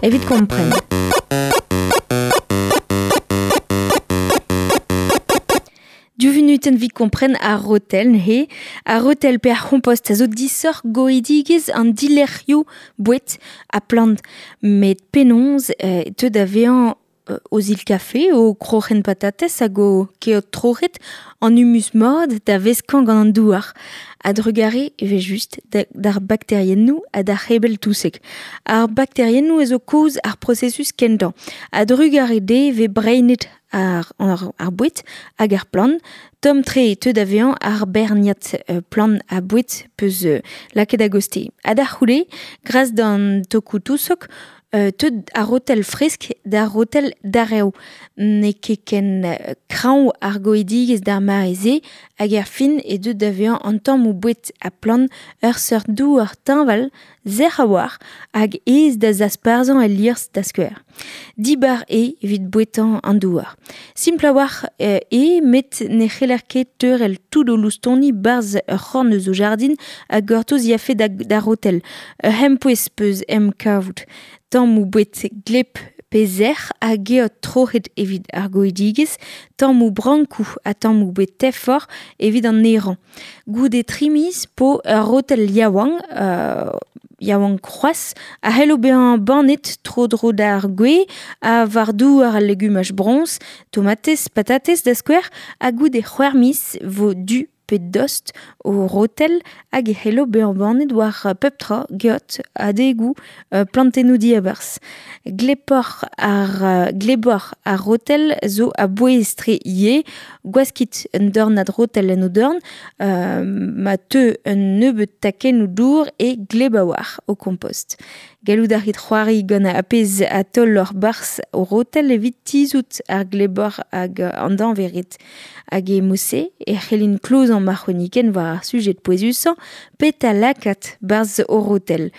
Evit kompren. Div vunutenn evit kompren ar rotel neuze. Ar rotel pe ar c'hompost a zo disoc'h goidigezh an dilerc'hioù boued ha plant. Met penaos e teu da vezañ o zil-kafe, o kroc'hen patatez hag o keot troc'het an humus mat da veskañ gant an douar. A-drugarez evel-just d'ar bakteriennoù ha d'ar c'hebell-touseg. Ar bakteriennoù a zo kaoz ar prosesus kentañ. A-drugarez dezhe e vez breinet ar, ar, boued hag ar plant. Tomm-tre e teu da vezañ ar berniad plant ha boued peus lakaet a-gostez. Ha da c'houde, gras d'an tokoù-tousog, Teut ar rotel fresk d'ar rotel darev. N'eo ket ken kreñv ar goidigezh d'ar mare-se hag er fin e deu da vezañ an tammoù boued ha plant ur seurt douar teñval, sec'h a-walc'h hag aes da zasparzhañ el liorzh da skouer. Dibar eo evit bouetañ an douar. Simpl a-walc'h eo met ne c'heller ket teurel tout o loustoni 'barzh ur c'horn eus o jardin ha gortoz yafe d'ar rotel. Ur c'hempouez peus em kavout. Tammoù boued gleb pe sec'h ha geot troc'het evit ar goidigezh, tammoù brankoù ha tammoù boued tefoc'h evit an nerañ. Goude tri miz 'po ur rotel yaouank, yaouank c'hoazh, a c'hello bezañ bannet tro-dro d'ar gwez ha war douar al legumaj broñs, tomatez, patatez da skouer, ha goude c'hwec'h miz 'vo du pe dost o rotel hag e c'hello bezañ bannet war pep tra, geot, adegoù, plantennoù diabarzh. Glepoc'h ar gleboc'h ar rotel zo a-bouez-tre ivez. Gwaskit un dornad rotel en o dorn ma teu un nebeud takennoù dour e gleb a-walc'h ho kompost. Gallout a rit c'hoari gant ar pezh a taoloc'h 'barzh ho rotel evit tizhout ar glebor hag an dañvered. Hag e mod-se e c'hellin klozañ ma c'hronikenn war ar sujed pouezusañ, petra lakaat 'barzh ho rotel.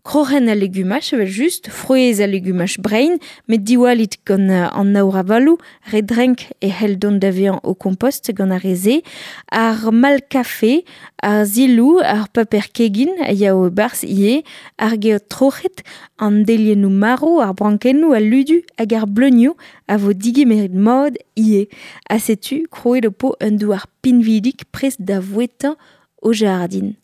Kroc'hen al legumaj evel-just, frouezh al legumaj brein, met diwallit gant an aour-avaloù, re drenk e c'hell dont da vezañ ho kompost gant ar re-se, ar mal-kafe, ar siloù, ar paper kegin a yao e-barzh ivez, ar geot troc'het, an deliennoù marv, ar brankennoù, al ludu hag ar bleunioù a vo digemeret mat ivez. Ha setu krouet ho po un douar pinvidik prest da vouetañ ho jardin.